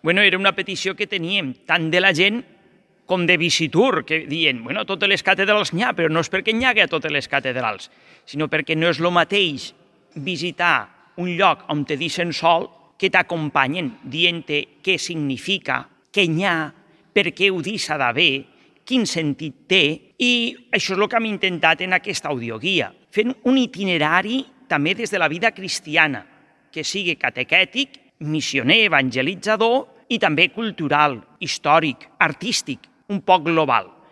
Bueno, era una petició que teníem tant de la gent com de Visitur, que diuen, bueno, totes les catedrals n'hi ha, però no és perquè n'hi hagi a totes les catedrals, sinó perquè no és el mateix visitar un lloc on te deixen sol que t'acompanyen dient-te què significa, què n'hi ha, per què ho deixa d'haver, quin sentit té, i això és el que hem intentat en aquesta audioguia, fent un itinerari també des de la vida cristiana, que sigui catequètic, missioner, evangelitzador i també cultural, històric, artístic, un poc global.